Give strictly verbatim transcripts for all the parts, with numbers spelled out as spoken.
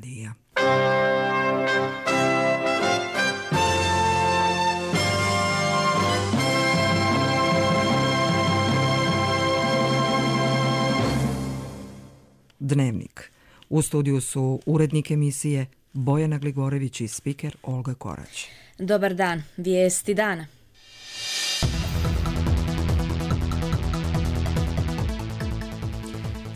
radija. Dnevnik. U studiju su urednik emisije Bojana Gligorević i spiker Olga Korać. Dobar dan, vijesti dana.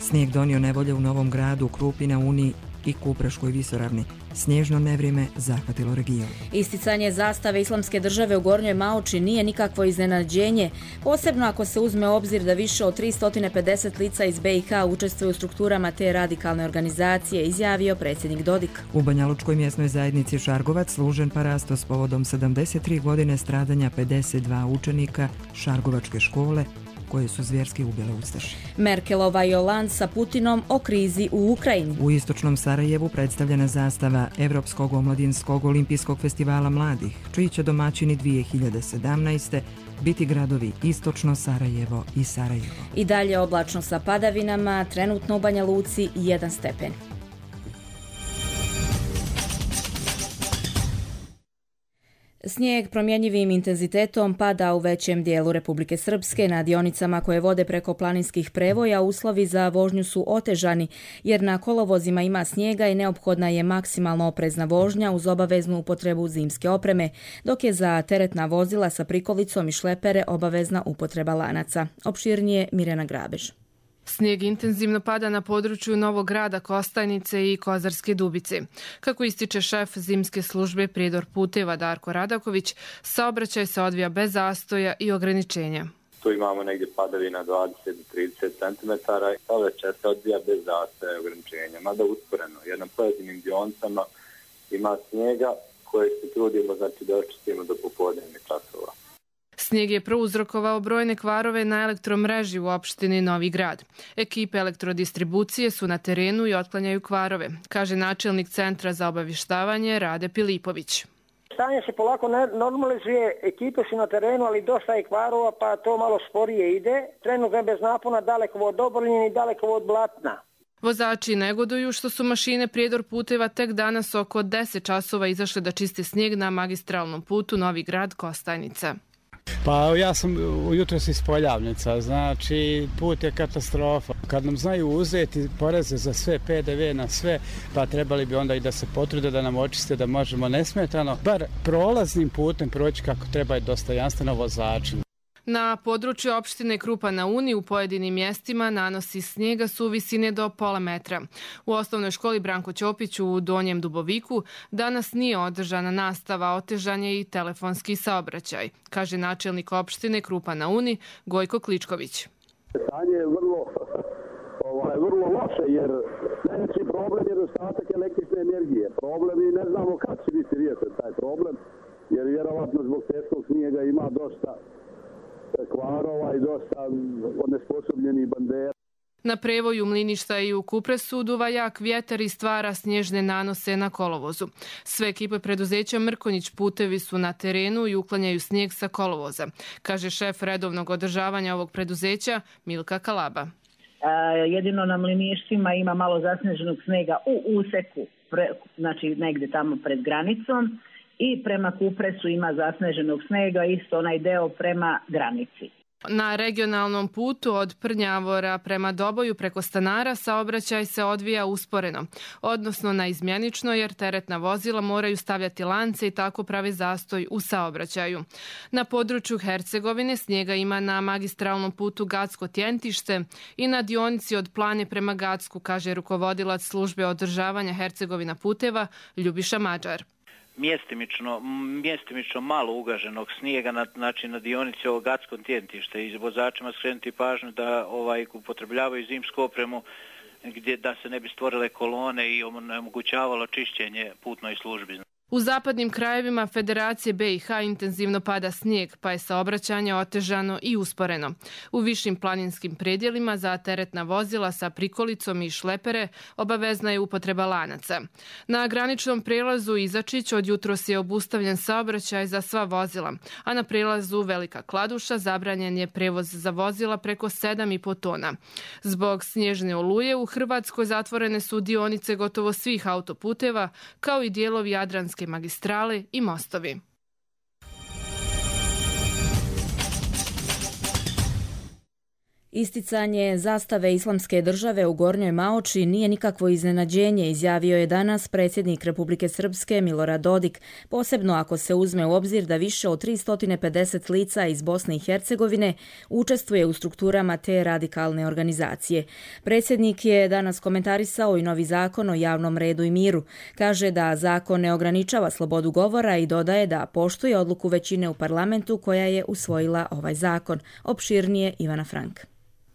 Snijeg donio nevolje u Novom Gradu, Krupi na Uni i Kupreškoj visoravni. Snježno nevrijeme zahvatilo region. Isticanje zastave Islamske države u Gornjoj Maoči nije nikakvo iznenađenje, posebno ako se uzme obzir da više od tristo pedeset lica iz be i ha učestvuju u strukturama te radikalne organizacije, izjavio predsjednik Dodik. U Banjalučkoj mjesnoj zajednici Šargovac služen parasto s povodom sedamdeset tri godine stradanja pedeset dva učenika Šargovačke škole koje su zvjerski ubile ustaše. Merkelova i Hollande sa Putinom o krizi u Ukrajini. U istočnom Sarajevu predstavljena zastava Evropskog omladinskog olimpijskog festivala mladih, čiji će domaćini dvije hiljade sedamnaeste. biti gradovi Istočno Sarajevo i Sarajevo. I dalje oblačno sa padavinama, trenutno u Banja Luci jedan stepen. Snijeg promjenjivim intenzitetom pada u većem dijelu Republike Srpske. Na dionicama koje vode preko planinskih prevoja uslovi za vožnju su otežani, jer na kolovozima ima snijega i neophodna je maksimalno oprezna vožnja uz obaveznu upotrebu zimske opreme, dok je za teretna vozila sa prikolicom i šlepere obavezna upotreba lanaca. Opširnije Mirjana Grabež. Snijeg intenzivno pada na području Novog Grada, Kostajnice i Kozarske Dubice. Kako ističe šef zimske službe Prijedor puteva Darko Radaković, saobraćaj se odvija bez zastoja i ograničenja. Tu imamo negdje padavina dvadeset do trideset centimetara i saobraćaj se odvija bez zastoja i ograničenja, mada usporeno. Jer na pojedinim dionicama ima snijega koje se trudimo znači, da očistimo do popodnevnih časova. Snijeg je prouzrokovao brojne kvarove na elektromreži u opštini Novi Grad. Ekipe elektrodistribucije su na terenu i otklanjaju kvarove, kaže načelnik Centra za obavještavanje Rade Pilipović. Stanje se polako normalizuje, ekipe su na terenu, ali dosta je kvarova, pa to malo sporije ide. Trenutno je bez napona dalekovod Obrljin i dalekovod Blatna. Vozači negoduju što su mašine Prijedor puteva tek danas oko deset časova izašle da čiste snijeg na magistralnom putu Novi Grad Kostajnica. Pa ja sam ujutro iz Poljavnica, znači put je katastrofa. Kad nam znaju uzeti poreze za sve, pe de ve na sve, pa trebali bi onda i da se potrude da nam očiste da možemo nesmetano, bar prolaznim putem proći kako treba i dostojanstveno vozačima. Na području opštine Krupa na Uni u pojedinim mjestima nanosi snijega su visine do pola metra. U osnovnoj školi Branko Ćopić u Donjem Duboviku danas nije održana nastava, otežan je i telefonski saobraćaj, kaže načelnik opštine Krupa na Uni Gojko Kličković. Stanje je vrlo, ovaj, vrlo loše jer najveći problem je nedostatak električne energije. Problem i ne znamo kad će biti riješen taj problem jer vjerovatno zbog teškog snijega ima dosta kvarova i dosta onesposobljenih bandera. Na prevoju Mliništa i u Kupresu duva jak vjetar i stvara snježne nanose na kolovozu. Sve ekipe preduzeća Mrkonjić putevi su na terenu i uklanjaju snijeg sa kolovoza, kaže šef redovnog održavanja ovog preduzeća Milka Kalaba. E, jedino na Mliništima ima malo zasneženog snijega u useku, pre, znači negdje tamo pred granicom. I prema Kupresu ima zasneženog snijega, isto onaj deo prema granici. Na regionalnom putu od Prnjavora prema Doboju preko Stanara saobraćaj se odvija usporeno, odnosno naizmjenično jer teretna vozila moraju stavljati lance i tako pravi zastoj u saobraćaju. Na području Hercegovine snijega ima na magistralnom putu Gacko-Tjentište i na dionici od Plane prema Gacku, kaže rukovodilac službe održavanja Hercegovina puteva Ljubiša Mađar. Mjestimično, mjestimično malo ugaženog snijega na, znači na dionici ovog Gacko Tjentišta i vozačima skrenuti pažnju da ovaj upotrebljavaju zimsku opremu gdje da se ne bi stvorile kolone i omogućavalo čišćenje putnoj službi. U zapadnim krajevima Federacije B i H intenzivno pada snijeg, pa je saobraćanje otežano i usporeno. U višim planinskim predjelima za teretna vozila sa prikolicom i šlepere obavezna je upotreba lanaca. Na graničnom prelazu Izačić od jutros je obustavljen saobraćaj za sva vozila, a na prelazu Velika Kladuša zabranjen je prevoz za vozila preko sedam i po tona. Zbog snježne oluje u Hrvatskoj zatvorene su dionice gotovo svih autoputeva, kao i dijelovi Jadranske magistrale i mostovi. Isticanje zastave Islamske države u Gornjoj Maoči nije nikakvo iznenađenje, izjavio je danas predsjednik Republike Srpske Milorad Dodik, posebno ako se uzme u obzir da više od tristo pedeset lica iz Bosne i Hercegovine učestvuje u strukturama te radikalne organizacije. Predsjednik je danas komentarisao i novi zakon o javnom redu i miru. Kaže da zakon ne ograničava slobodu govora i dodaje da poštuje odluku većine u parlamentu koja je usvojila ovaj zakon. Opširnije Ivana Frank.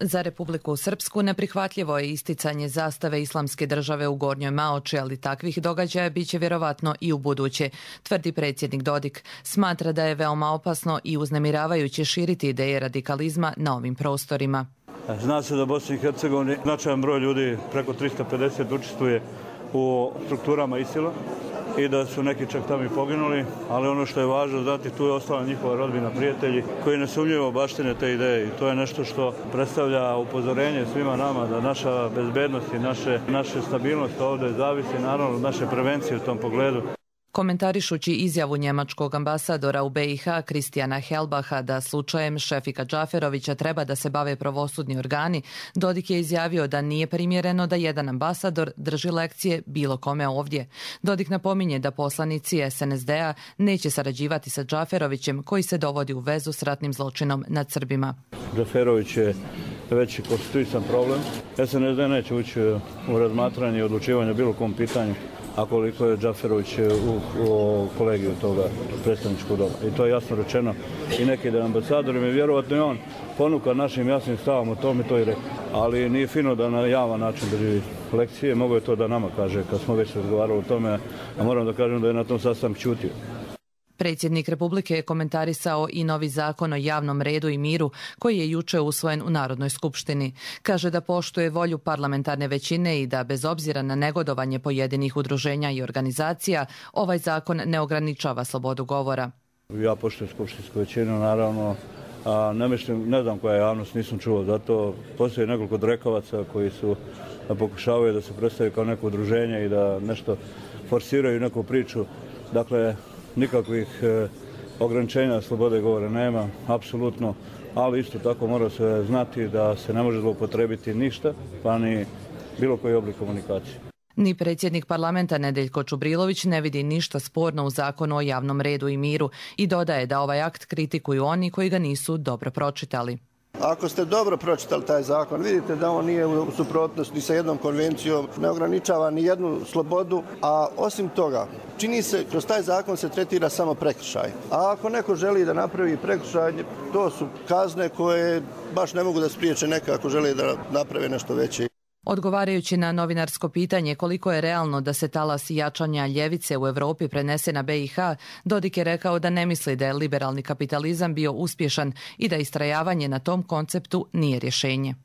Za Republiku Srpsku neprihvatljivo je isticanje zastave Islamske države u Gornjoj Maoči, ali takvih događaja biće vjerovatno i u buduće, tvrdi predsjednik Dodik. Smatra da je veoma opasno i uznemiravajuće širiti ideje radikalizma na ovim prostorima. Zna se da Bosni i Hercegovini značajan broj ljudi, preko tristo pedeset, učestvuje u strukturama ISIL-a i da su neki čak tamo i poginuli, ali ono što je važno znati, tu je ostala njihova rodbina, prijatelji koji nesumnjivo baštine te ideje i to je nešto što predstavlja upozorenje svima nama da naša bezbednost i naše, naše stabilnost ovdje zavisi naravno od naše prevencije u tom pogledu. Komentarišući izjavu njemačkog ambasadora u B i H Kristijana Helbaha da slučajem Šefika Džaferovića treba da se bave pravosudni organi, Dodik je izjavio da nije primjereno da jedan ambasador drži lekcije bilo kome ovdje. Dodik napominje da poslanici S N S D-a neće sarađivati sa Džaferovićem koji se dovodi u vezu s ratnim zločinom nad Srbima. Džaferović je već konstituisan problem. S N S D neće ući u razmatranje i odlučivanje o bilo kom pitanju, a koliko je Džaferović u, u kolegiju toga predstavničkog doma. I to je jasno rečeno i neki da ambasadorima i vjerovatno je on ponuka našim jasnim stavom o tome, to i rekao. Ali nije fino da na javan način drži lekcije, mogo je to da nama kaže kad smo već razgovarali o tome, a moram da kažem da je na tom sastanku ćutio. Predsjednik Republike je komentarisao i novi zakon o javnom redu i miru koji je juče usvojen u Narodnoj skupštini. Kaže da poštuje volju parlamentarne većine i da bez obzira na negodovanje pojedinih udruženja i organizacija, ovaj zakon ne ograničava slobodu govora. Ja poštujem skupštinsku većinu, naravno, a ne, mislim, ne znam koja javnost, nisam čuo, zato postoji nekoliko drekavaca koji su da pokušavaju da se predstavaju kao neko udruženje i da nešto forsiraju neku priču. Dakle, nikakvih e, ograničenja slobode govora nema, apsolutno, ali isto tako mora se znati da se ne može zloupotrebiti ništa, pa ni bilo koji oblik komunikacije. Ni predsjednik parlamenta Nedeljko Čubrilović ne vidi ništa sporno u zakonu o javnom redu i miru i dodaje da ovaj akt kritikuju oni koji ga nisu dobro pročitali. Ako ste dobro pročitali taj zakon, vidite da on nije u suprotnosti sa jednom konvencijom, ne ograničava ni jednu slobodu, a osim toga, čini se, kroz taj zakon se tretira samo prekršaj. A ako neko želi da napravi prekršaj, to su kazne koje baš ne mogu da spriječe neka ako želi da naprave nešto veće. Odgovarajući na novinarsko pitanje koliko je realno da se talas jačanja ljevice u Europi prenese na B i H, Dodik je rekao da ne misli da je liberalni kapitalizam bio uspješan i da istrajavanje na tom konceptu nije rješenje.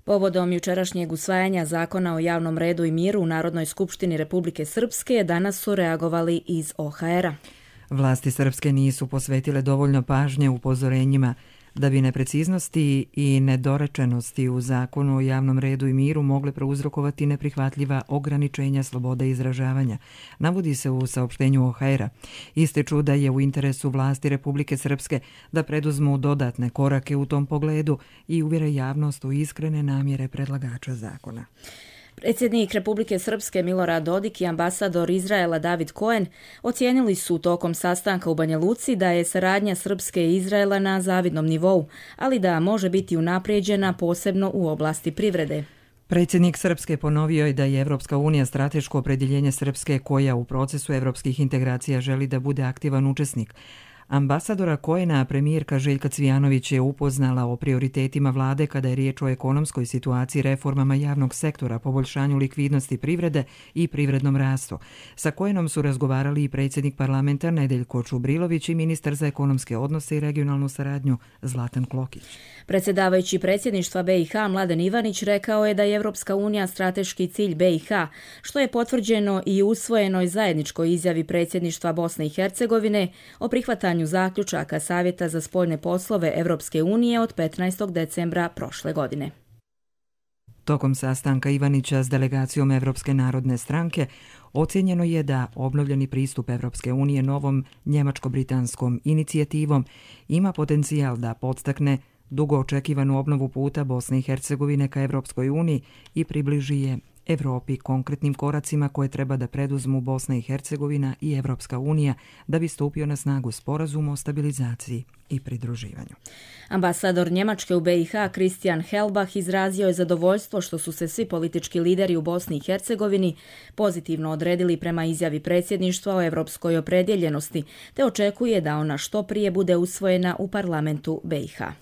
Povodom jučerašnjeg usvajanja zakona o javnom redu i miru u Narodnoj skupštini Republike Srpske danas su reagovali iz O H R-a. Vlasti Srpske nisu posvetile dovoljno pažnje upozorenjima da bi nepreciznosti i nedorečenosti u zakonu o javnom redu i miru mogle prouzrokovati neprihvatljiva ograničenja slobode izražavanja, navodi se u saopštenju O H R-a. Ističu da je u interesu vlasti Republike Srpske da preduzmu dodatne korake u tom pogledu i uvjere javnost u iskrene namjere predlagača zakona. Predsjednik Republike Srpske Milorad Dodik i ambasador Izraela David Cohen ocijenili su tokom sastanka u Banja Luci da je saradnja Srpske i Izraela na zavidnom nivou, ali da može biti unaprijeđena posebno u oblasti privrede. Predsjednik Srpske ponovio je da je Evropska unija strateško opredjeljenje Srpske koja u procesu evropskih integracija želi da bude aktivan učesnik, Ambasadora Kojena premijerka Željka Cvijanović je upoznala o prioritetima vlade kada je riječ o ekonomskoj situaciji, reformama javnog sektora, poboljšanju likvidnosti privrede i privrednom rastu. Sa Kojenom su razgovarali i predsjednik parlamenta Nedeljko Čubrilović i ministar za ekonomske odnose i regionalnu saradnju Zlatan Klokić. Predsjedavajući predsjedništva B i H Mladen Ivanić rekao je da je Evropska unija strateški cilj B i H, što je potvrđeno i usvojenoj zajedničkoj izjavi predsjedništva Bosne i Hercegovine o prihvatanju zaključaka Savjeta za spoljne poslove Evropske unije od petnaestog decembra prošle godine. Tokom sastanka Ivanića s delegacijom Evropske narodne stranke ocjenjeno je da obnovljeni pristup Evropske unije novom njemačko-britanskom inicijativom ima potencijal da podstakne dugo očekivanu obnovu puta Bosne i Hercegovine ka Evropskoj uniji i približi je Evropi konkretnim koracima koje treba da preduzmu Bosna i Hercegovina i Evropska unija da bi stupio na snagu sporazum o stabilizaciji i pridruživanju. Ambasador Njemačke u B i H Christian Hellbach izrazio je zadovoljstvo što su se svi politički lideri u Bosni i Hercegovini pozitivno odredili prema izjavi predsjedništva o evropskoj opredjeljenosti, te očekuje da ona što prije bude usvojena u parlamentu B i H.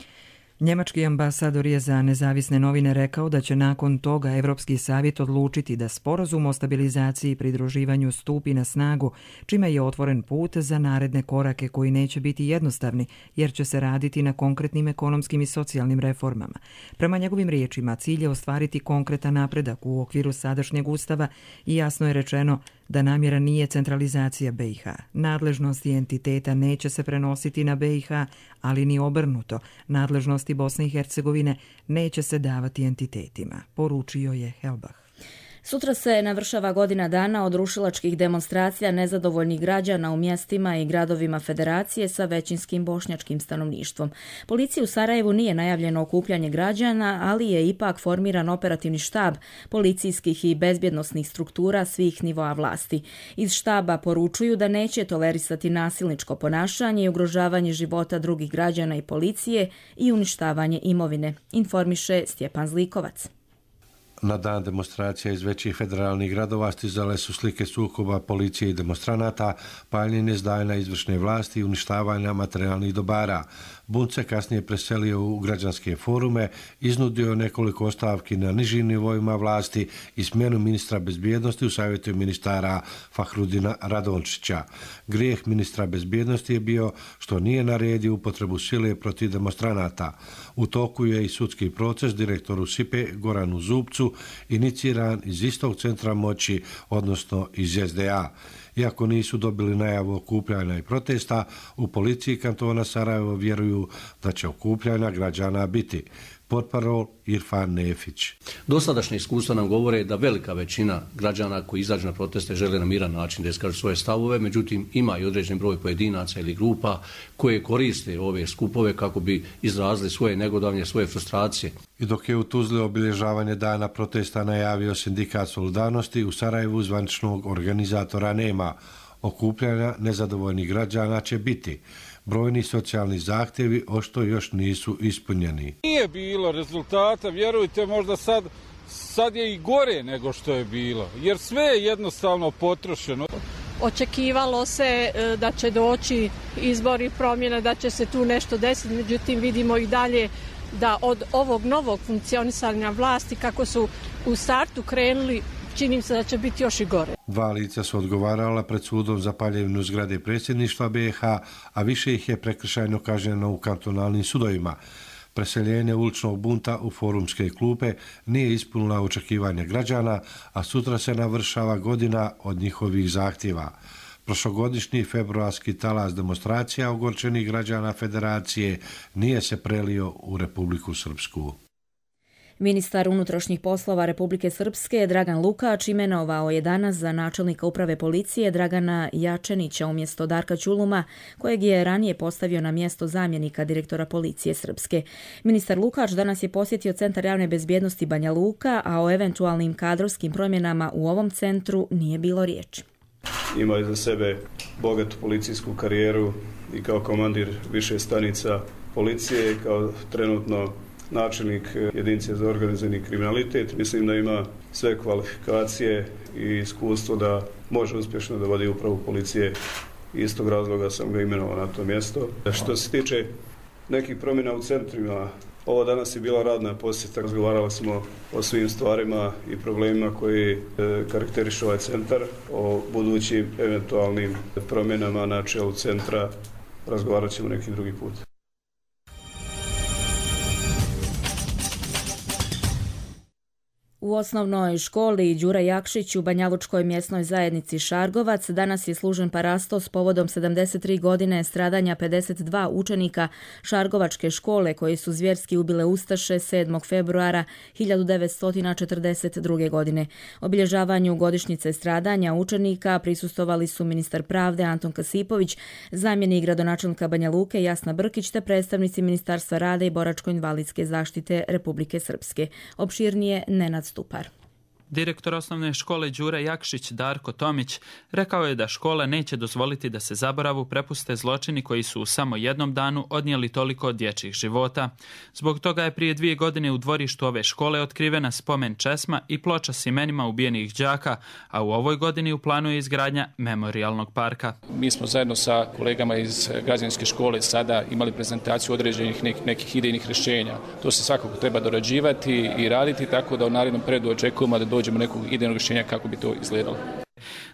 Njemački ambasador je za nezavisne novine rekao da će nakon toga Evropski savjet odlučiti da sporazum o stabilizaciji i pridruživanju stupi na snagu, čime je otvoren put za naredne korake koji neće biti jednostavni, jer će se raditi na konkretnim ekonomskim i socijalnim reformama. Prema njegovim riječima, cilj je ostvariti konkretan napredak u okviru sadašnjeg ustava i jasno je rečeno da namjera nije centralizacija B i H. Nadležnosti entiteta neće se prenositi na B i H, ali ni obrnuto. Nadležnosti Bosne i Hercegovine neće se davati entitetima, poručio je Hellbach. Sutra se navršava godina dana od rušilačkih demonstracija nezadovoljnih građana u mjestima i gradovima Federacije sa većinskim bošnjačkim stanovništvom. Policiji u Sarajevu nije najavljeno okupljanje građana, ali je ipak formiran operativni štab policijskih i bezbjednosnih struktura svih nivoa vlasti. Iz štaba poručuju da neće tolerisati nasilničko ponašanje i ugrožavanje života drugih građana i policije i uništavanje imovine, informiše Stjepan Zlikovac. Na dan demonstracija iz većih federalnih gradova stizale su slike sukoba policije i demonstranata, paljenje zdanja izvršne vlasti i uništavanja materijalnih dobara. Bunt se kasnije preselio u građanske forume, iznudio nekoliko ostavki na nižim nivoima vlasti i smjenu ministra bezbjednosti u savjetu ministara Fahrudina Radončića. Grijeh ministra bezbjednosti je bio što nije naredio upotrebu sile protiv demonstranata. U toku je i sudski proces direktoru S I P E Goranu Zubcu iniciran iz istog centra moći, odnosno iz S D A. Iako nisu dobili najavu okupljanja i protesta, u policiji kantona Sarajevo vjeruju da će okupljanja građana biti. Portparol Irfan Nefić. Dosadašnje iskustva nam govore da velika većina građana koji izađu na proteste žele na miran način da iskažu svoje stavove, međutim ima i određen broj pojedinaca ili grupa koje koriste ove skupove kako bi izrazili svoje negodovanje, svoje frustracije. I dok je u Tuzli obilježavanje dana protesta najavio sindikat Solidarnosti, u Sarajevu zvaničnog organizatora nema. Okupljanja nezadovoljnih građana će biti. Brojni socijalni zahtjevi ošto još nisu ispunjeni. Nije bilo rezultata, vjerujte, možda sad, sad je i gore nego što je bilo, jer sve je jednostavno potrošeno. Očekivalo se da će doći izbori, promjena, da će se tu nešto desiti, međutim vidimo i dalje da od ovog novog funkcionisanja vlasti, kako su u startu krenuli, čini se da će biti još i gore. Dva lica su odgovarala pred sudom za paljevinu zgrade predsjedništva B i H, a više ih je prekršajno kažnjeno u kantonalnim sudovima. Preseljenje uličnog bunta u forumske klupe nije ispunila očekivanja građana, a sutra se navršava godina od njihovih zahtjeva. Prošlogodišnji februarski talas demonstracija ogorčenih građana Federacije nije se prelio u Republiku Srpsku. Ministar unutrašnjih poslova Republike Srpske Dragan Lukač imenovao je danas za načelnika uprave policije Dragana Jačenića umjesto Darka Ćuluma, kojeg je ranije postavio na mjesto zamjenika direktora policije Srpske. Ministar Lukač danas je posjetio Centar javne bezbjednosti Banja Luka, a o eventualnim kadrovskim promjenama u ovom centru nije bilo riječi. Ima iza sebe bogatu policijsku karijeru i kao komandir više stanica policije, kao trenutno načelnik jedinice za organizirani kriminalitet. Mislim da ima sve kvalifikacije i iskustvo da može uspješno da vodi upravu policije Iz tog razloga sam ga imenovao na to mjesto. Što se tiče nekih promjena u centrima, ovo danas je bila radna posjeta, razgovarali smo o svim stvarima i problemima koji e, karakterišu ovaj centar, o budućim eventualnim promjenama na čelu centra razgovarat ćemo neki drugi put. U osnovnoj školi Đura Jakšić u Banjalučkoj mjesnoj zajednici Šargovac danas je služen parastos povodom sedamdeset tri godine stradanja pedeset dva učenika Šargovačke škole koji su zvjerski ubile ustaše sedmog februara hiljadu devetsto četrdeset druge. godine. Obilježavanju godišnjice stradanja učenika prisustvovali su ministar pravde Anton Kasipović, zamjenik gradonačelnika Banja Luke Jasna Brkić te predstavnici Ministarstva rada i boračko-invalidske zaštite Republike Srpske. Opširnije Nenad Stupar. Direktor osnovne škole Đura Jakšić Darko Tomić rekao je da škola neće dozvoliti da se zaboravu prepuste zločini koji su u samo jednom danu odnijeli toliko dječjih života. Zbog toga je prije dvije godine u dvorištu ove škole otkrivena spomen česma i ploča s imenima ubijenih đaka, a u ovoj godini u planu je izgradnja memorijalnog parka. Mi smo zajedno sa kolegama iz građanske škole sada imali prezentaciju određenih nek- nekih idejnih rješenja. To se svakako treba dorađivati i raditi, tako da u narednom periodu očekujemo da dođemo nekog idejnog rješenja kako bi to izgledalo.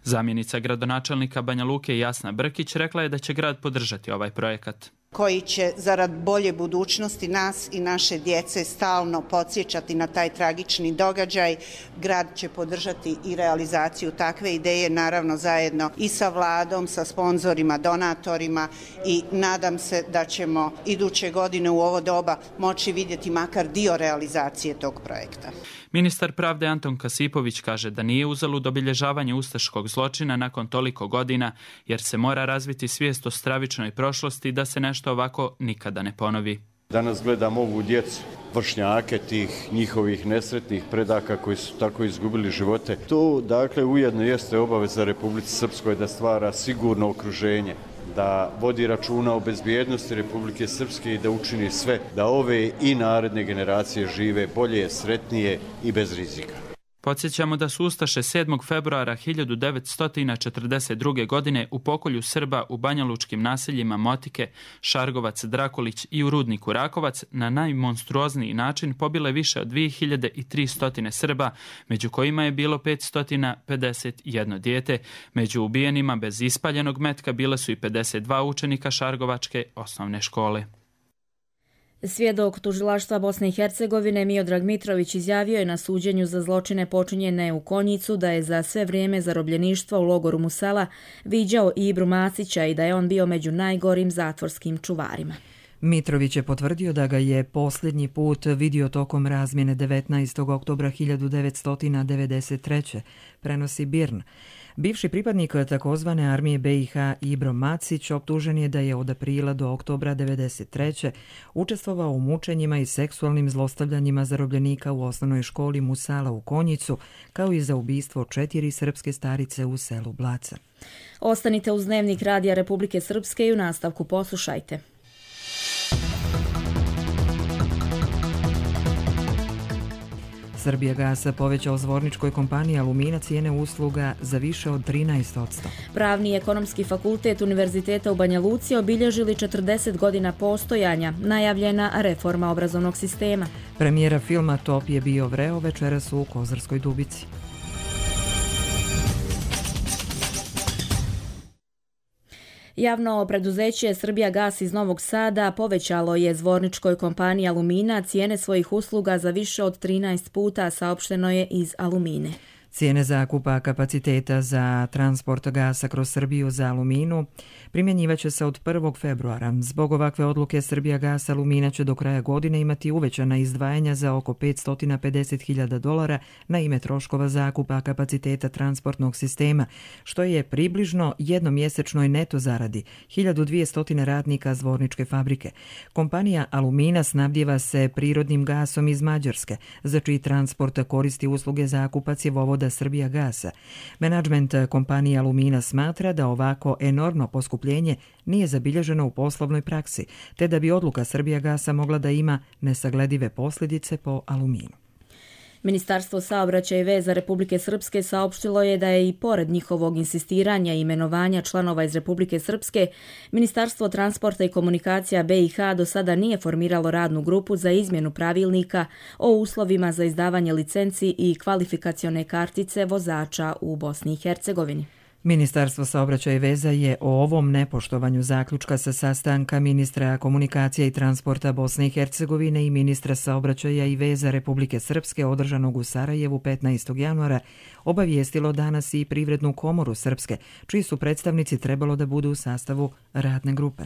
Zamjenica gradonačelnika Banja Luke Jasna Brkić rekla je da će grad podržati ovaj projekat, koji će zarad bolje budućnosti nas i naše djece stalno podsjećati na taj tragični događaj. Grad će podržati i realizaciju takve ideje, naravno zajedno i sa vladom, sa sponzorima, donatorima, i nadam se da ćemo iduće godine u ovo doba moći vidjeti makar dio realizacije tog projekta. Ministar pravde Anton Kasipović kaže da nije uzalud obilježavanje ustaškog zločina nakon toliko godina, jer se mora razviti svijest o stravičnoj prošlosti da se nešto ovako nikada ne ponovi. Danas gledam ovu djecu, vršnjake tih njihovih nesretnih predaka koji su tako izgubili živote. To, dakle, ujedno jeste obaveza Republici Srpskoj da stvara sigurno okruženje, da vodi računa o bezbjednosti Republike Srpske i da učini sve da ove i naredne generacije žive bolje, sretnije i bez rizika. Podsjećamo da su ustaše sedmog februara hiljadu devetsto četrdeset druge. godine u pokolju Srba u banjalučkim naseljima Motike, Šargovac, Drakolić i u rudniku Rakovac na najmonstruozniji način pobile više od dvije hiljade tristo Srba, među kojima je bilo petsto pedeset jedno dijete. Među ubijenima bez ispaljenog metka bile su i pedeset dva učenika Šargovačke osnovne škole. Svjedok tužilaštva Bosne i Hercegovine Miodrag Mitrović izjavio je na suđenju za zločine počinjene u Konjicu da je za sve vrijeme zarobljeništva u logoru Musala viđao Ibru Masića i da je on bio među najgorim zatvorskim čuvarima. Mitrović je potvrdio da ga je posljednji put vidio tokom razmjene devetnaestog oktobra hiljadu devetsto devedeset treće. prenosi Birn. Bivši pripadnik takozvane armije be i ha Ibro Macić optužen je da je od aprila do oktobra devedeset treće učestvovao u mučenjima i seksualnim zlostavljanjima zarobljenika u osnovnoj školi Musala u Konjicu, kao i za ubistvo četiri srpske starice u selu Blaca. Ostanite uz Dnevnik Radija Republike Srpske i u nastavku poslušajte. Srbijagas povećao zvorničkoj kompaniji Alumina cijene usluga za više od trinaest posto. Pravni i ekonomski fakultet Univerziteta u Banja Luci obilježili četrdeset godina postojanja, najavljena reforma obrazovnog sistema. Premijera filma Top je bio vreo večeras u Kozarskoj Dubici. Javno preduzeće Srbijagas iz Novog Sada povećalo je zvorničkoj kompaniji Alumina cijene svojih usluga za više od trinaest puta, saopšteno je iz Alumine. Cijene zakupa kapaciteta za transport gasa kroz Srbiju za Aluminu primjenjivaće se od prvog februara. Zbog ovakve odluke Srbijagas Alumina će do kraja godine imati uvećana izdvajanja za oko petsto pedeset hiljada dolara na ime troškova zakupa kapaciteta transportnog sistema, što je približno jednomjesečnoj neto zaradi hiljadu dvjesto radnika zvorničke fabrike. Kompanija Alumina snabdjeva se prirodnim gasom iz Mađarske, za čiji transport koristi usluge zakupa cjevovoda Srbijagasa. Menadžment kompanije Alumina smatra da ovako enormno poskupljenje nije zabilježeno u poslovnoj praksi, te da bi odluka Srbijagasa mogla da ima nesagledive posljedice po Aluminu. Ministarstvo saobraćaja i veza Republike Srpske saopštilo je da je i pored njihovog insistiranja i imenovanja članova iz Republike Srpske, Ministarstvo transporta i komunikacija B i H do sada nije formiralo radnu grupu za izmjenu pravilnika o uslovima za izdavanje licenci i kvalifikacione kartice vozača u Bosni i Hercegovini. Ministarstvo saobraćaja i veza je o ovom nepoštovanju zaključka sa sastanka ministra komunikacija i transporta Bosne i Hercegovine i ministra saobraćaja i veza Republike Srpske održanog u Sarajevu petnaestog januara obavijestilo danas i Privrednu komoru Srpske, čiji su predstavnici trebalo da budu u sastavu radne grupe.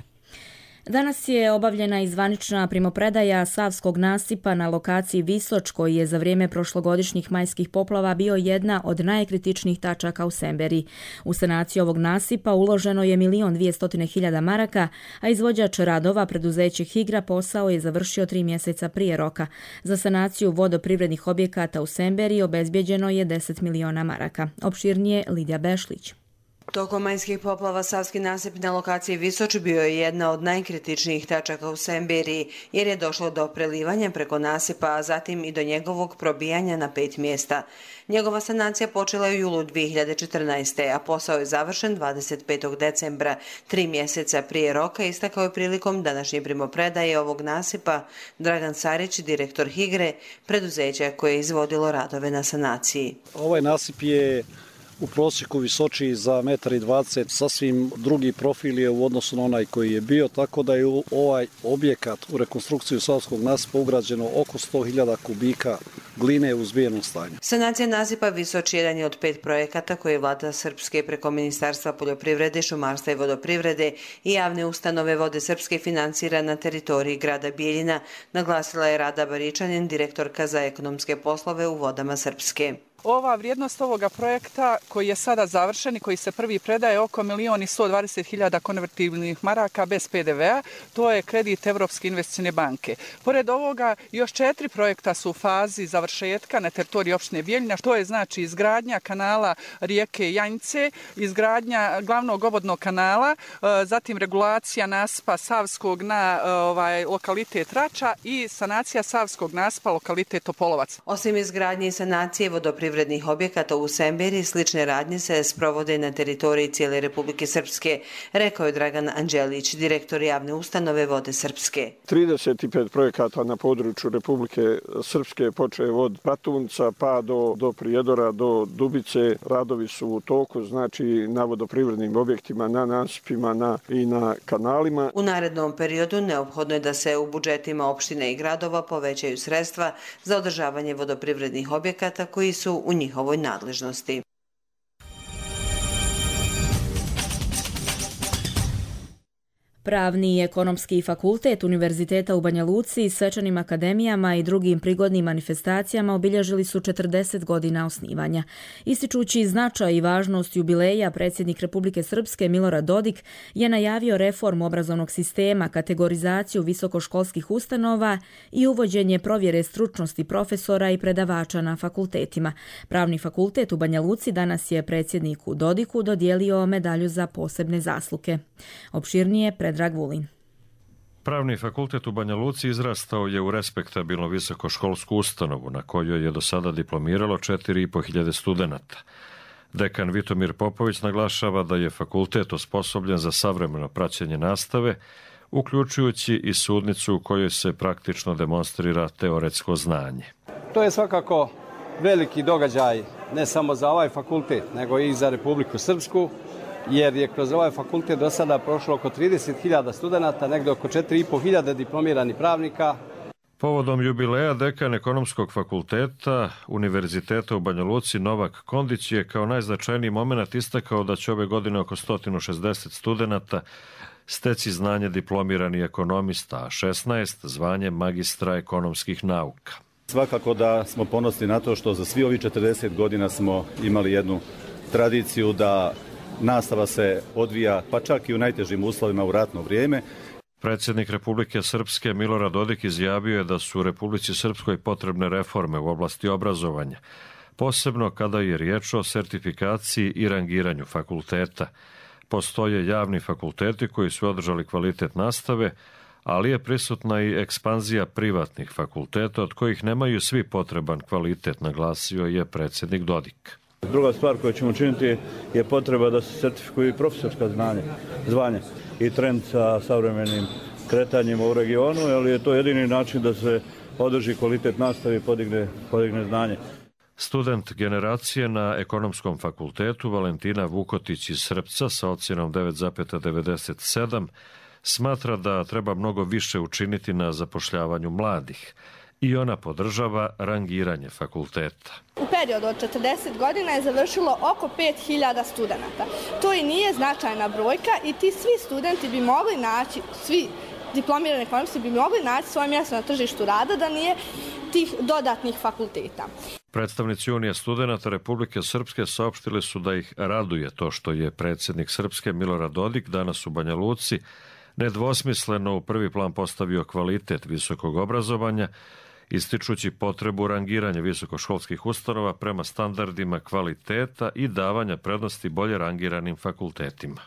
Danas je obavljena i zvanična primopredaja Savskog nasipa na lokaciji Visoč, koji je za vrijeme prošlogodišnjih majskih poplava bio jedna od najkritičnijih tačaka u Semberiji. U sanaciju ovog nasipa uloženo je milion dvjesto hiljada maraka, a izvođač radova, preduzeće Higra, posao je završio tri mjeseca prije roka. Za sanaciju vodoprivrednih objekata u Semberiji obezbjeđeno je deset miliona maraka. Opširnije Lidija Bešlić. Tokom majskih poplava Savski nasip na lokaciji Visoč bio je jedna od najkritičnijih tačaka u Semberiji, jer je došlo do prelivanja preko nasipa, a zatim i do njegovog probijanja na pet mjesta. Njegova sanacija počela je u julu dvije hiljade četrnaeste. a posao je završen dvadeset petog decembra, tri mjeseca prije roka, istakao je prilikom današnje primopredaje ovog nasipa Dragan Sarić, direktor Higre, preduzeća koje je izvodilo radove na sanaciji. Ovaj nasip je u prosjeku visočiji za metar i dvadeset, sasvim drugi profil je u odnosu na onaj koji je bio, tako da je u ovaj objekat u rekonstrukciju Savskog nasipa ugrađeno oko sto hiljada kubika gline u zbijenom stanju. Sanacija nasipa Visoč jedan je od pet projekata koje je vlada Srpske preko Ministarstva poljoprivrede, šumarstva i vodoprivrede i javne ustanove Vode Srpske financira na teritoriji grada Bijeljina, naglasila je Rada Baričanin, direktorka za ekonomske poslove u Vodama Srpske. Ova vrijednost ovoga projekta koji je sada završen i koji se prvi predaje oko milion i sto dvadeset hiljada konvertibilnih maraka bez P D V-a, to je kredit Evropske investicione banke. Pored ovoga još četiri projekta su u fazi završetka na teritoriji opštine Bijeljina, to je znači izgradnja kanala rijeke Janjice, izgradnja glavnog obodnog kanala, zatim regulacija nasipa Savskog na ovaj, lokalitet Rača i sanacija Savskog nasipa lokalitet Topolovac. Osim izgradnje i sanacije vodoprivrednih objekata u Semberiji, slične radnje se sprovode na teritoriji cijele Republike Srpske, rekao je Dragan Anđelić, direktor javne ustanove Vode Srpske. trideset pet projekata na području Republike Srpske, počev od Patunca pa do, do Prijedora, do Dubice. Radovi su u toku, znači na vodoprivrednim objektima, na nasipima na, i na kanalima. U narednom periodu neophodno je da se u budžetima opštine i gradova povećaju sredstva za održavanje vodoprivrednih objekata koji su u njihovoj nadležnosti. Pravni i ekonomski fakultet Univerziteta u Banja Luci, svečanim akademijama i drugim prigodnim manifestacijama obilježili su četrdeset godina osnivanja. Ističući značaj i važnost jubileja, predsjednik Republike Srpske Milorad Dodik je najavio reformu obrazovnog sistema, kategorizaciju visokoškolskih ustanova i uvođenje provjere stručnosti profesora i predavača na fakultetima. Pravni fakultet u Banja Luci danas je predsjedniku Dodiku dodijelio medalju za posebne zasluge. Opširnije pred Dragvulin. Pravni fakultet u Banja Luci izrastao je u respektabilnu visokoškolsku ustanovu na kojoj je do sada diplomiralo četiri i po hiljade studenata. Dekan Vitomir Popović naglašava da je fakultet osposobljen za savremeno praćenje nastave, uključujući i sudnicu u kojoj se praktično demonstrira teoretsko znanje. To je svakako veliki događaj ne samo za ovaj fakultet, nego i za Republiku Srpsku, jer je kroz ovaj fakultet do sada prošlo oko trideset hiljada studenata, negdje oko četiri i po hiljade diplomiranih pravnika. Povodom jubileja dekan ekonomskog fakulteta Univerziteta u Banja Luci Novak Kondić je kao najznačajniji moment istakao da će ove godine oko sto šezdeset studenata steći znanje diplomirani ekonomista, a šesnaest zvanje magistra ekonomskih nauka. Svakako da smo ponosni na to što za svi ovih četrdeset godina smo imali jednu tradiciju da nastava se odvija pa čak i u najtežim uslovima u ratno vrijeme. Predsjednik Republike Srpske Milorad Dodik izjavio je da su u Republici Srpskoj potrebne reforme u oblasti obrazovanja, posebno kada je riječ o sertifikaciji i rangiranju fakulteta. Postoje javni fakulteti koji su održali kvalitet nastave, ali je prisutna i ekspanzija privatnih fakulteta od kojih nemaju svi potreban kvalitet, naglasio je predsjednik Dodik. Druga stvar koju ćemo učiniti je potreba da se sertifikuju i profesorska znanja, zvanja i trend sa savremenim kretanjima u regionu, ali je to jedini način da se održi kvalitet nastave i podigne, podigne znanje. Student generacije na Ekonomskom fakultetu Valentina Vukotić iz Srpca sa ocjenom devet zarez devedeset sedam smatra da treba mnogo više učiniti na zapošljavanju mladih i ona podržava rangiranje fakulteta. U periodu od četrdeset godina je završilo oko pet hiljada studenata. To i nije značajna brojka i ti svi studenti bi mogli naći, svi diplomirani ekonomisti bi mogli naći svoje mjesto na tržištu rada da nije tih dodatnih fakulteta. Predstavnici Unije studenata Republike Srpske saopštili su da ih raduje to što je predsjednik Srpske Milorad Dodik danas u Banja Luci nedvosmisleno u prvi plan postavio kvalitet visokog obrazovanja, ističući potrebu rangiranja visokoškolskih ustanova prema standardima kvaliteta i davanja prednosti bolje rangiranim fakultetima.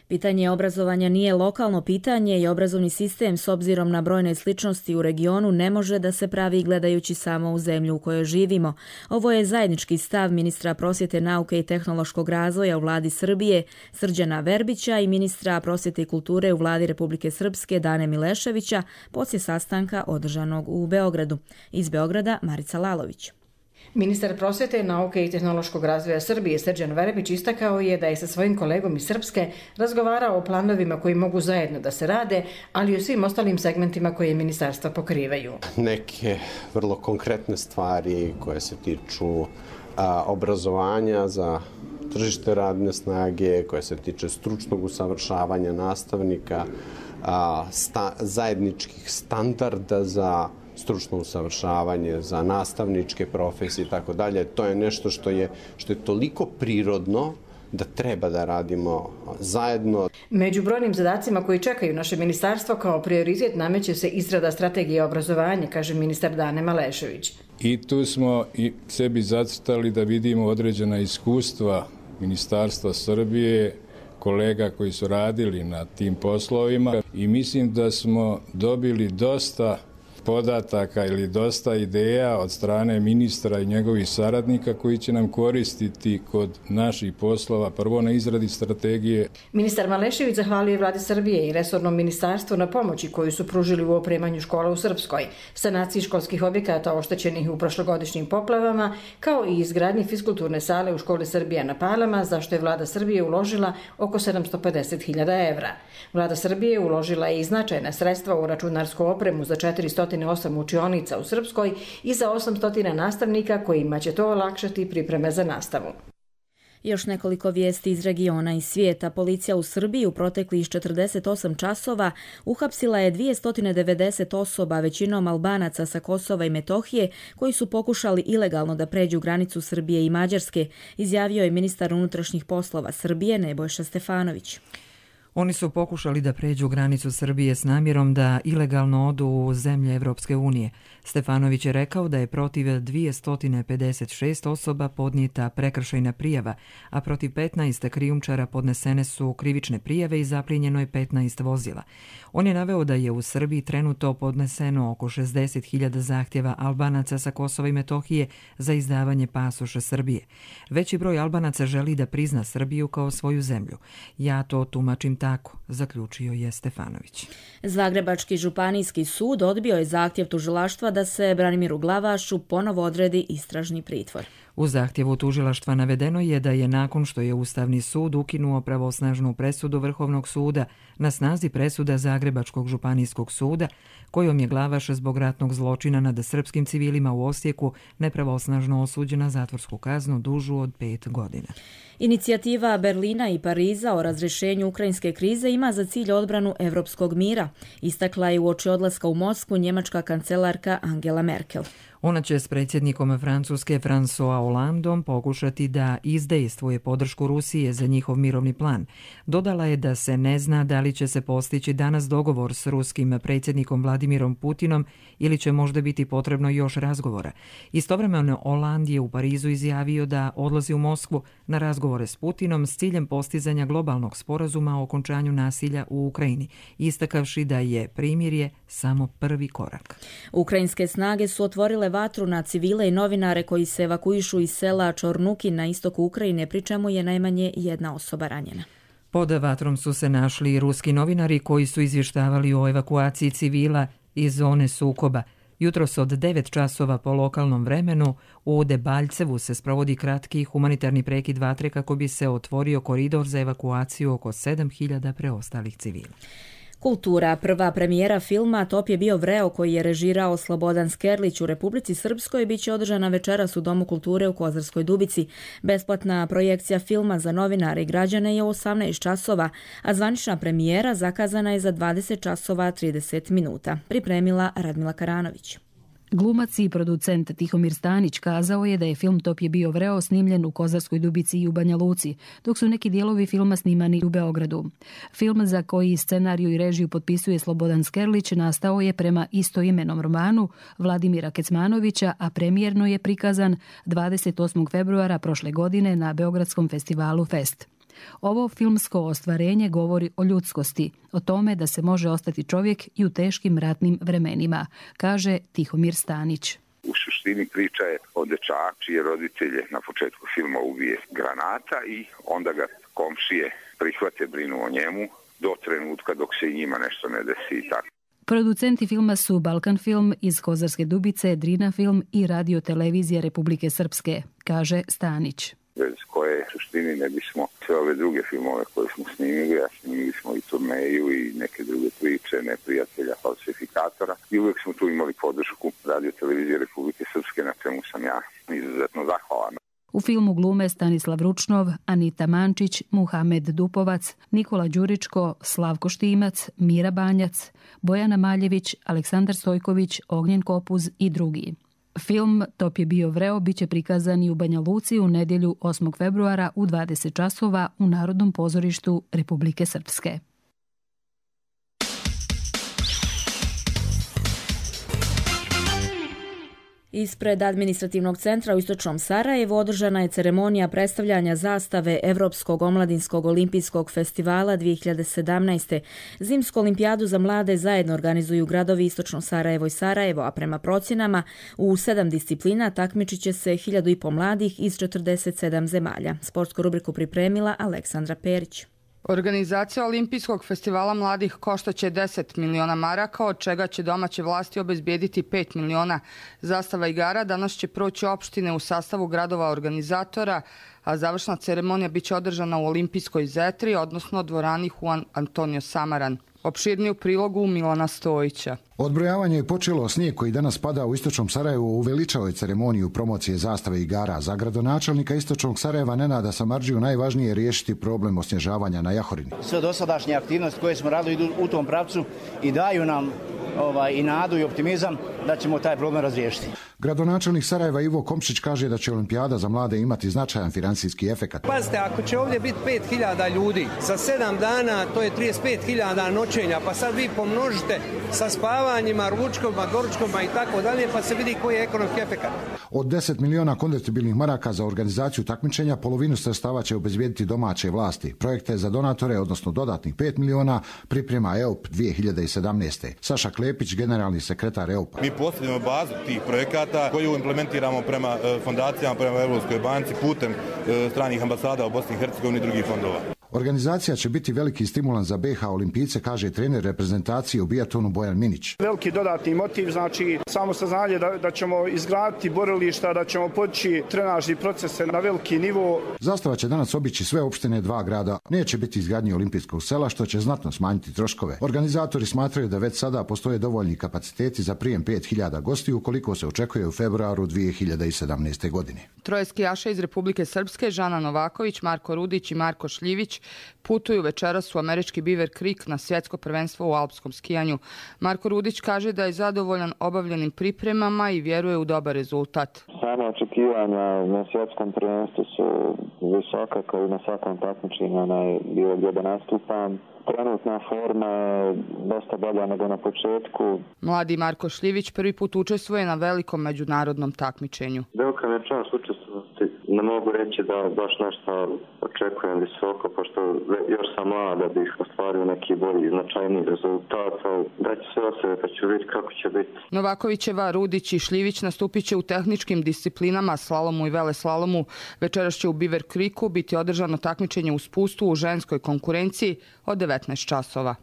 Pitanje obrazovanja nije lokalno pitanje i obrazovni sistem s obzirom na brojne sličnosti u regionu ne može da se pravi gledajući samo u zemlju u kojoj živimo. Ovo je zajednički stav ministra prosvjete, nauke i tehnološkog razvoja u vladi Srbije Srđana Verbića i ministra prosvjete i kulture u vladi Republike Srpske Dane Mileševića poslije sastanka održanog u Beogradu. Iz Beograda Marica Lalović. Ministar prosvjete, nauke i tehnološkog razvoja Srbije Srđan Verbić istakao je da je sa svojim kolegom iz Srpske razgovarao o planovima koji mogu zajedno da se rade, ali i o svim ostalim segmentima koje ministarstva pokrivaju. Neke vrlo konkretne stvari koje se tiču a, obrazovanja za tržište radne snage, koje se tiče stručnog usavršavanja nastavnika, a, sta, zajedničkih standarda za stručno usavršavanje, za nastavničke profesije i tako dalje. To je nešto što je, što je toliko prirodno da treba da radimo zajedno. Među brojnim zadacima koji čekaju naše ministarstvo kao prioritet nameće se izrada strategije obrazovanja, kaže ministar Dane Malešević. I tu smo i sebi zacrtali da vidimo određena iskustva Ministarstva Srbije, kolega koji su radili na tim poslovima i mislim da smo dobili dosta podataka ili dosta ideja od strane ministra i njegovih saradnika koji će nam koristiti kod naših poslova, prvo na izradi strategije. Ministar Malešević zahvalio je vladi Srbije i resornom ministarstvu na pomoći koju su pružili u opremanju škola u Srpskoj, sanaciji školskih objekata oštećenih u prošlogodišnjim poplavama, kao i izgradnji fiskulturne sale u školi Srbija na Palama, za što je vlada Srbije uložila oko sedamsto pedeset hiljada evra. Vlada Srbije uložila je i značajna sredstva u računarsku opremu za četiristo osam učionica u Srpskoj i za osamsto nastavnika kojima će to olakšati pripreme za nastavu. Još nekoliko vijesti iz regiona i svijeta. Policija u Srbiji u proteklih četrdeset osam časova uhapsila je dvjesto devedeset osoba, većinom Albanaca sa Kosova i Metohije, koji su pokušali ilegalno da pređu granicu Srbije i Mađarske, izjavio je ministar unutrašnjih poslova Srbije Nebojša Stefanović. Oni su pokušali da pređu granicu Srbije s namjerom da ilegalno odu u zemlje Evropske unije. Stefanović je rekao da je protiv dvjesto pedeset šest osoba podnijeta prekršajna prijava, a protiv petnaest krijumčara podnesene su krivične prijave i zaplijenjeno je petnaest vozila. On je naveo da je u Srbiji trenutno podneseno oko šezdeset hiljada zahtjeva Albanaca sa Kosova i Metohije za izdavanje pasoša Srbije. Veći broj Albanaca želi da prizna Srbiju kao svoju zemlju. Ja to tumačim tako, zaključio je Stefanović. Zagrebački županijski sud odbio je zahtjev tužilaštva da se Branimiru Glavašu ponovo odredi istražni pritvor. U zahtjevu tužilaštva navedeno je da je nakon što je Ustavni sud ukinuo pravosnažnu presudu Vrhovnog suda na snazi presuda Zagrebačkog županijskog suda, kojom je Glavaš zbog ratnog zločina nad srpskim civilima u Osijeku nepravosnažno osuđen na zatvorsku kaznu dužu od pet godina. Inicijativa Berlina i Pariza o razrješenju ukrajinske krize ima za cilj odbranu evropskog mira, istakla je uoči odlaska u Moskvu njemačka kancelarka Angela Merkel. Ona će s predsjednikom Francuske François Hollandom pokušati da izdejstvuje podršku Rusije za njihov mirovni plan. Dodala je da se ne zna da li će se postići danas dogovor s ruskim predsjednikom Vladimirom Putinom ili će možda biti potrebno još razgovora. Istovremeno Hollande je u Parizu izjavio da odlazi u Moskvu na razgovore s Putinom s ciljem postizanja globalnog sporazuma o okončanju nasilja u Ukrajini, istakavši da je primirje samo prvi korak. Ukrajinske snage su otvorile vatru na civile i novinare koji se evakuišu iz sela Čornuki na istoku Ukrajine, pri čemu je najmanje jedna osoba ranjena. Pod vatrom su se našli i ruski novinari koji su izvještavali o evakuaciji civila iz zone sukoba. Jutros od devet časova po lokalnom vremenu u Debaljcevu se sprovodi kratki humanitarni prekid vatre kako bi se otvorio koridor za evakuaciju oko sedam hiljada preostalih civila. Kultura. Prva premijera filma Top je bio vreo koji je režirao Slobodan Skerlić u Republici Srpskoj bit će održana večeras u Domu kulture u Kozarskoj Dubici. Besplatna projekcija filma za novinare i građane je u osamnaest časova, a zvanična premijera zakazana je za dvadeset časova trideset minuta. Pripremila Radmila Karanović. Glumac i producent Tihomir Stanić kazao je da je film Top je bio vreo snimljen u Kozarskoj Dubici i u Banja Luci, dok su neki dijelovi filma snimani u Beogradu. Film za koji scenariju i režiju potpisuje Slobodan Skerlić nastao je prema istoimenom romanu Vladimira Kecmanovića, a premijerno je prikazan dvadeset osmog februara prošle godine na Beogradskom festivalu Fest. Ovo filmsko ostvarenje govori o ljudskosti, o tome da se može ostati čovjek i u teškim ratnim vremenima, kaže Tihomir Stanić. U suštini priča je o dečaku čije roditelje na početku filma ubije granata i onda ga komšije prihvate, brinu o njemu do trenutka dok se i njima nešto ne desi i tako. Producenti filma su Balkan Film iz Kozarske Dubice, Drina Film i Radio Televizija Republike Srpske, kaže Stanić. Bez koje suštini ne bismo sve ove druge filmove koje smo snimili, a snimili smo i Turneju i neke druge priče, Neprijatelja, Falsifikatora, i uvijek smo tu imali podršku Radio Televizije Republike Srpske, na čemu sam ja izuzetno zahvalan. U filmu glume Stanislav Ručnov, Anita Mančić, Muhamed Dupovac, Nikola Đuričko, Slavko Štimac, Mira Banjac, Bojana Maljević, Aleksandar Stojković, Ognjen Kopuz i drugi. Film Top je bio vreo bit će prikazan i u Banja Luci u nedjelju osmog februara u dvadeset časova u Narodnom pozorištu Republike Srpske. Ispred administrativnog centra u istočnom Sarajevu održana je ceremonija predstavljanja zastave Evropskog omladinskog olimpijskog festivala dvije hiljade sedamnaeste. Zimsku olimpijadu za mlade zajedno organizuju gradovi istočno Sarajevo i Sarajevo, a prema procjenama u sedam disciplina takmičit će se hiljadu i po mladih iz četrdeset sedam zemalja. Sportsku rubriku pripremila Aleksandra Perić. Organizacija Olimpijskog festivala mladih koštaće deset miliona maraka, od čega će domaće vlasti obezbijediti pet miliona. Zastava igara danas će proći opštine u sastavu gradova organizatora, a završna ceremonija biće održana u Olimpijskoj zetri, odnosno dvorani Juan Antonio Samaran. Opširniju prilogu Milana Stojića. Odbrojavanje je počelo. Snijeg koji danas pada u istočnom Sarajevu uveličao je ceremoniju promocije zastave igara. Za gradonačelnika istočnog Sarajeva Nenada Samardžiju najvažnije je riješiti problem osnježavanja na Jahorini. Sve dosadašnje aktivnosti koje smo radili idu u tom pravcu i daju nam ovaj, i nadu i optimizam da ćemo taj problem razriješiti. Gradonačelnik Sarajeva Ivo Komšić kaže da će olimpijada za mlade imati značajan financijski efekat. Pazite, ako će ovdje biti pet hiljada ljudi, za sedam dana to je trideset pet hiljada noćenja, pa sad vi pomnožite sa spavanjima, ručkovima, doručkovima i tako dalje, pa se vidi koji je ekonomski efekat. Od deset miliona konvertibilnih maraka za organizaciju takmičenja, polovinu sredstava će obezbijediti domaće vlasti. Projekte za donatore, odnosno dodatnih pet miliona, priprema E O P dvije hiljade sedamnaeste. Saša Klepić, generalni sekretar E O P. Mi postavljamo bazu tih projekata koju implementiramo prema fondacijama, prema Evropskoj banci, putem stranih ambasada u Bosni i Hercegovini i drugih fondova. Organizacija će biti veliki stimulans za B iH olimpijce, kaže trener reprezentacije u bijatonu Bojan Minić. Veliki dodatni motiv, znači samo saznanje da, da ćemo izgraditi borilišta, da ćemo podići trenažni procese na veliki nivo. Zastava će danas obići sve opštine dva grada. Neće biti izgradnje olimpijskog sela, što će znatno smanjiti troškove. Organizatori smatraju da već sada postoje dovoljni kapaciteti za prijem pet hiljada gostiju, koliko se očekuje u februaru dvije hiljade sedamnaeste. godine. Troje skijaša iz Republike Srpske, Žana Novaković, Marko Rudić i Marko Šljivić, putuju večeras u američki Beaver Creek na svjetsko prvenstvo u alpskom skijanju. Marko Rudić kaže da je zadovoljan obavljenim pripremama i vjeruje u dobar rezultat. Sama očekivanja na svjetskom prvenstvu su visoka, kao i na svakom takmičenju, onaj bilo gdje da nastupam. Trenutna forma je dosta bolja nego na početku. Mladi Marko Šljivić prvi put učestvuje na velikom međunarodnom takmičenju. Velika mi je čast učestvovati. Ne mogu reći da baš nešto očekujem visoko, pošto još sam mlad da bih ostvario neki bolji značajni rezultat. Da ću sve od sebe pa ću vidjeti kako će biti. Novakovićeva, Rudić i Šljivić nastupit će u tehničkim disciplinama, slalomu i veleslalomu. Večeras će u Beaver Creeku biti održano takmičenje u spustu u ženskoj konkurenciji od devetnaest časova.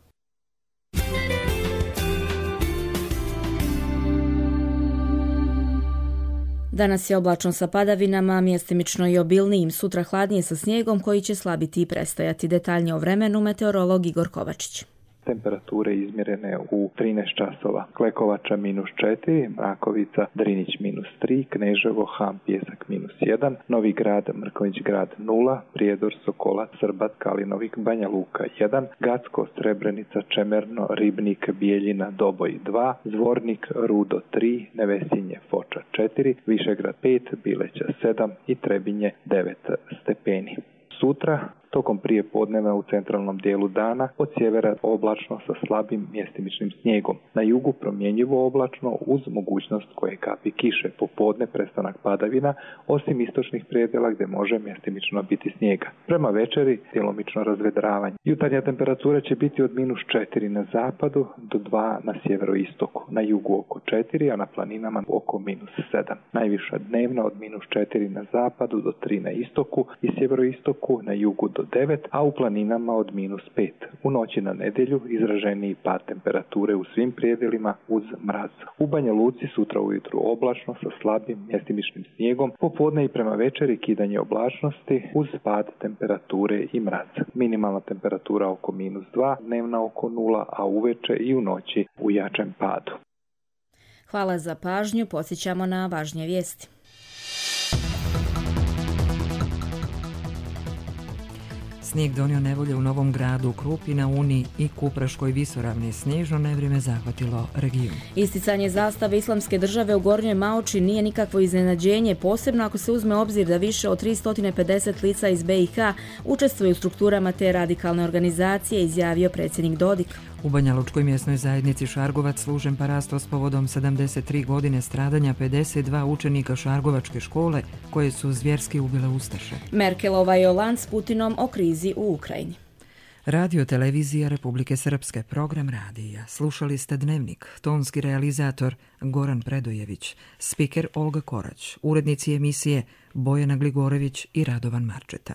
Danas je oblačno sa padavinama, mjestimično i obilnijim, sutra hladnije sa snijegom koji će slabiti i prestajati. Detaljnije o vremenu meteorolog Igor Kovačić. Temperature izmjerene u trinaest časova. Klekovača minus četiri, Mrakovica, Drinić minus tri, Kneževo, Ham, Pjesak minus jedan, Novi Grad, Mrkonjić Grad nula, Prijedor, Sokolac, Srbat, Kalinovik, Banja Luka jedan, Gacko, Srebrenica, Čemerno, Ribnik, Bijeljina, Doboj dva, Zvornik, Rudo tri, Nevesinje, Foča četiri, Višegrad pet, Bileća sedam i Trebinje devet stepeni. Sutra, tokom prije podneva u centralnom dijelu dana, od sjevera oblačno sa slabim mjestimičnim snijegom. Na jugu promjenjivo oblačno uz mogućnost koje kapi kiše. Popodne prestanak padavina, osim istočnih predjela gdje može mjestimično biti snijega. Prema večeri djelomično razvedravanje. Jutarnja temperatura će biti od minus četiri na zapadu do dva na sjeveroistoku. Na jugu oko četiri, a na planinama oko minus sedam. Najviša dnevna od minus četiri na zapadu do tri na istoku i sjeveroistoku, na jugu do devet, a u planinama od minus pet. U noći na nedjelju izraženiji pad temperature u svim predjelima uz mraz. U Banja Luci sutra ujutru oblačno sa slabim mjestimičnim snijegom, popodne i prema večeri kidanje oblačnosti uz pad temperature i mraz. Minimalna temperatura oko minus dva, dnevna oko nula, a uveče i u noći u jačem padu. Hvala za pažnju, podsjećamo na važnije vijesti. Snijeg donio nevolje u Novom Gradu, Krupi, na Uni i Kupraškoj visoravni. Snježno nevrijeme zahvatilo region. Isticanje zastave Islamske države u Gornjoj Maoči nije nikakvo iznenađenje, posebno ako se uzme obzir da više od tristo pedeset lica iz be i ha učestvuju u strukturama te radikalne organizacije, izjavio predsjednik Dodik. U Banja Lučkoj mjesnoj zajednici Šargovac služen parasto s povodom sedamdeset tri godine stradanja pedeset dva učenika Šargovačke škole koje su zvjerski ubile ustaše. Merkelova i Holand s Putinom o krizi u Ukrajini. Radio televizija Republike Srpske, program radija. Slušali ste Dnevnik, tonski realizator Goran Predojević, spiker Olga Korać, urednici emisije Bojana Gligorević i Radovan Marčeta.